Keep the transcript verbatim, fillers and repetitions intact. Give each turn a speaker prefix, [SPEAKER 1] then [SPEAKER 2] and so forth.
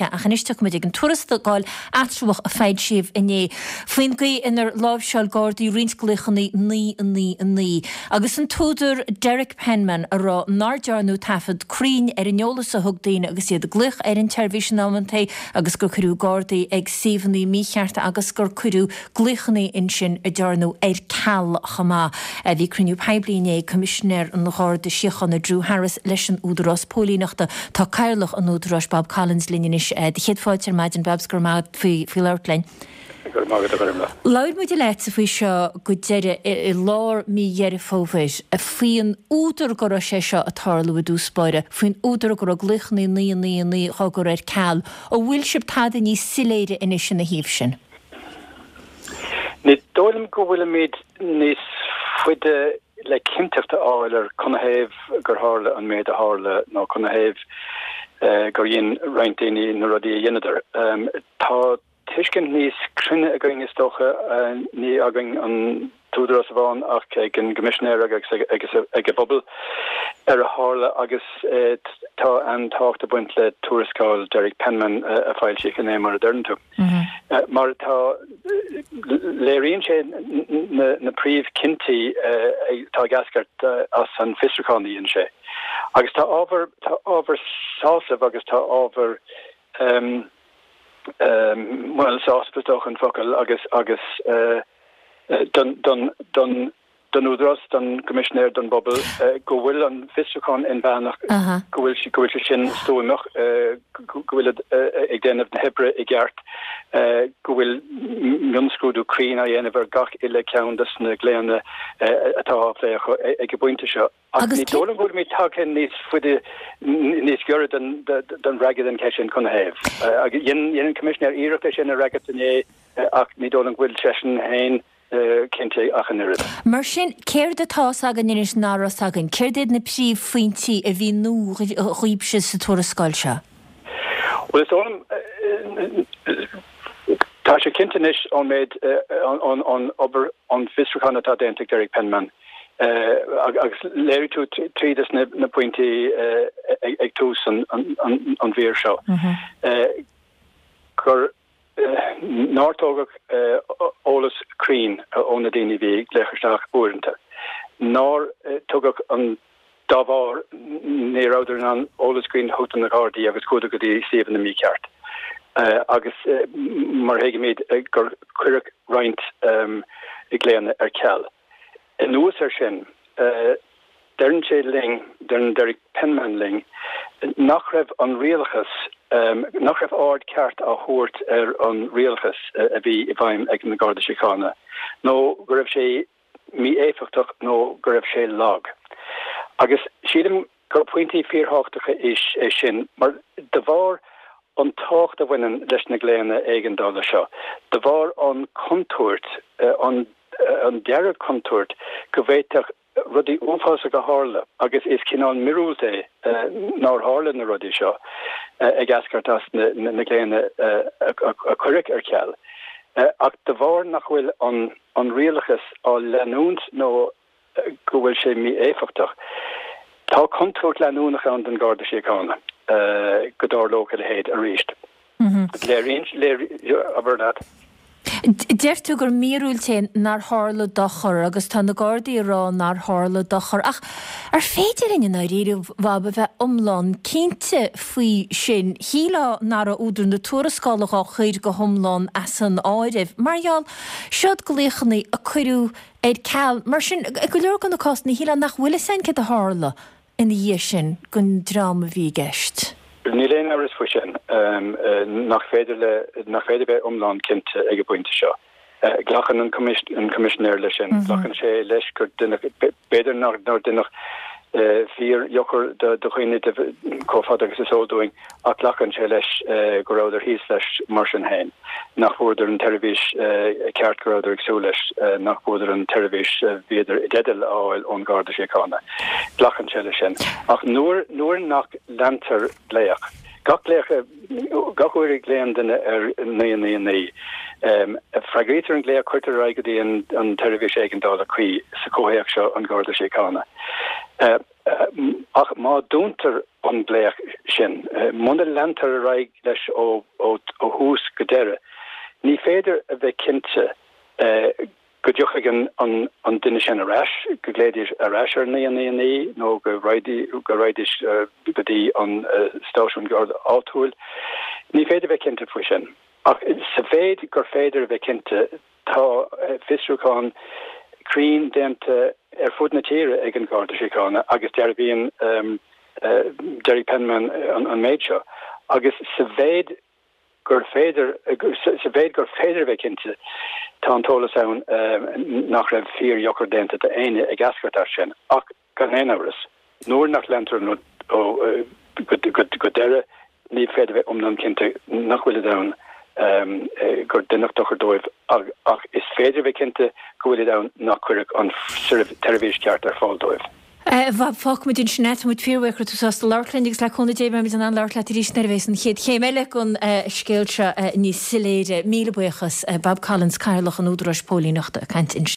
[SPEAKER 1] Ach anois tiocfaimid ag an tuarascáil eatramhach a foilsíodh inné faoin gcaoi inar láimhseáil Gardaí roinnt glaochanna naoi naoi naoi agus an t-údar Derek Penman a rá nár dearnadh taifead cruinn ar an eolas a thug daoine agus iad ag glaoch ar an tseirbhís in amantaí agus gur cuireadh Gardaí ag suíomhanna míchearta agus gur cuireadh glaochanna ansin a dearnadh ar ceal chomh maith. Bhí cruinniú poiblí inné ag Coimisinéir an Gharda Síochána Drew Harris leis an Údarás Póilíneachta. Tá Cathaoirleach an Údaráis Bob Collins linn anois. Do chéad fáilte ar maidin Babs go raibh maith faoi faoi labhairt linn.
[SPEAKER 2] Go raibh maith agat a Ghormlaith.
[SPEAKER 1] Labhair muid leatsa faoi seo go deireadh i lár mí Dheireadh Fómhair, faoin údar go raibh sé seo ag tarlú i dtús báire, faoin údar go raibh glaochanna naoi naoi naoi á gcur ar ceal. An bhfuil sibh tada níos soiléire anois ina thaobh sin?
[SPEAKER 2] Ní dóigh liom go bhfuilimid níos faide le cinnteacht a fháil ar canathaobh gur tharla an méid a tharla nó canathaobh gur dhein roinnt daoine na rudaí a dheineadar. Tá tuiscint níos cruinne againn is dócha, ní againn an t-údarás amháin ach ag an gCoimisinéir agus ag an bpobal ar a tharla agus tá an-tábhacht ag baint le tuarascáil Derek Penman a foilsíodh inné mar a deireann tú. Mar atá, léiríonn sé na príomhchinntí atá ag eascairt as an bhfiosrúchán a dhein sé. Agus tá ábhar, tá ábhar sásaimh agus tá ábhar, bhuel, sásamh is dócha an focal agus, agus don, don, don, don Údarás, don gCoimisinéir, don bpobal, go bhfuil an fiosrúchán inmheánach, go bhfuil go bhfuil sé sin stuamach, go bhfuil ag déanamh na hoibre i gceart, go bhfuil mionscrúdú cruinn á dhéanamh ar gach uile ceann de na glaonna atá á phlé acu ag an bpointe seo. Ach ní dóigh liom go bhfuilimid tagtha níos faide, níos giorra don fhreagra don cheist sin canathaobh. Dhein an Coimisinéir iarracht é sin a fhreagairt inné ach ní dóigh liom go bhfuil seisean féin cinnte ach an oiread.
[SPEAKER 1] Mar sin, céard atá 's againn anois nach raibh 's againn? Céard iad na príomhphointí a bhí nua dhaoibhse sa tuarascáil seo?
[SPEAKER 2] Bhuel, is dóigh liom, tá sé cinnte anois ón méid, ón obair, ón bhfiosrúchán atá déanta ag Derek Penman, agus léirigh tú tríd is na pointí ag tús an mhír seo, gur nár tógadh eolas cruinn ó na daoine a bhí ag glaoch isteach uaireanta, nár tugadh an dá bharr ní rabhadar in ann eolas cruinn a thabhairt do na Gardaí agus chuadar go dtí suíomhanna mícheart agus mar a thuigimid gur cuireadh roinnt glaonna ar ceal. Anuas air sin, deireann sé linn, deireann Derek Penman linn, nach raibh an rialachas, nach raibh aird ceart á thabhairt ar an rialachas a bhí i bhfeidhm ag an Garda Síochána, nó go raibh sé mí-éifeachtach nó go raibh sé lag. Agus sílim gur pointí fíorthábhachtacha é sin, mar de bharr an tábhacht a bhaineann leis na glaonna éigeandála seo, de bharr an chontúirt, an an dearg-chontúirt go bhféadfadh rudaí uafásacha a tharla agus is cineál míorúilt é nár tharla na rudaí seo ag eascairt as na glaonna a cuireadh ar ceal. Ach de bharr nach bhfuil an rialachas á leanúint nó go bhfuil sé mí-éifeachtach, tá contúirt leanúnach ann don Gharda Síochána go dtarlódh a leithéid arís. Léiríonn, abair leat.
[SPEAKER 1] Deir tú gur míorúilt é nár tharla dochar agus tá na Gardaí ag rá nár tharla dochar ach ar féidir linn i ndáiríre, Bhab, a bheith iomlán cinnte faoi sin? Shílfeá nach raibh údar na tuarascála dhá chur go hiomlán as an áireamh mar gheall seod glaochanna a cuireadh ar ceal. Mar sin, i go leor de na cásanna, shílfeá nach bhfuil fhios againn céard a tharla ina dhiaidh sin don dream a bhí i gceist.
[SPEAKER 2] Níl aon amhras faoi sin, nach féidir le, nach féidir bheith iomlán cinnte ag an bpointe seo. Glacann an Coimisinéir leis sin. Glacann sé leis gur deineadh, b'fhéidir nár deineadh fíordhochar do dhaoine chomh fada agus is eol dúinn, ach glacann sé leis go rabhadar thíos leis mar sin féin, nach bhfuaireadar an tseirbhís ceart go rabhadar ag súil leis, nach bhfuaireadar an tseirbhís a bhíodar i dteideal a fháil ón Gharda Síochána. Glacann sé leis sin. Ach nuair nuair nach leantar glaoch, gach glaoch, gach uair a ghlaonn duine ar naoi naoi naoi, Freagraítear an glaoch, cuirtear ar aghaidh go dtí an tseirbhís éigeandála cuí, sa chomhthéacs seo an Garda Síochána. Ach má dúntar an glaoch sin, muna leantar ar aghaidh leis ó thús go deireadh, ní féidir a bheith cinnte go dtiocfaidh an duine sin ar ais, go nglaofaidís ar ais ar naoi naoi naoi nó go raghaidís go dtí an stáisiún Garda áitiúil. Ní féidir a bheith cinnte faoi sin. Ach sa mhéid gur féidir a bheith cinnte, tá fiosrúchán cruinn déanta ar fud na tíre ag an Gharda Síochána agus dearbhaíonn Derek Penman an méid seo. Agus sa mhéid gur féidir, sa mhéid gur féidir a bheith cinnte, tá an t-eolas ann nach raibh fíordhochar déanta d'éinne ag eascairt as sin. Ach gan aon amhras, nuair nach leantar an rud ó go deireadh, ní féidir a bheith iomlán cinnte nach bhfuilid ann gur deineadh dochar dóibh ach is féidir a bheith cinnte go bhfuilid ann nach cuireadh an tseirbhís cheart ar fáil dóibh.
[SPEAKER 1] A Bhob, fágfaimid ansin é. Tá muid fíorbhuíoch go raibh tú sásta labhairt linn agus le cúnamh Dé beimid in ann labhairt leat arís nuair a bheas an chéad chéim eile den scéal seo níos soiléire. Míle buíochas. Bob Collins, Cathaoirleach an Údaráis Póilíneachta ag caint ansin.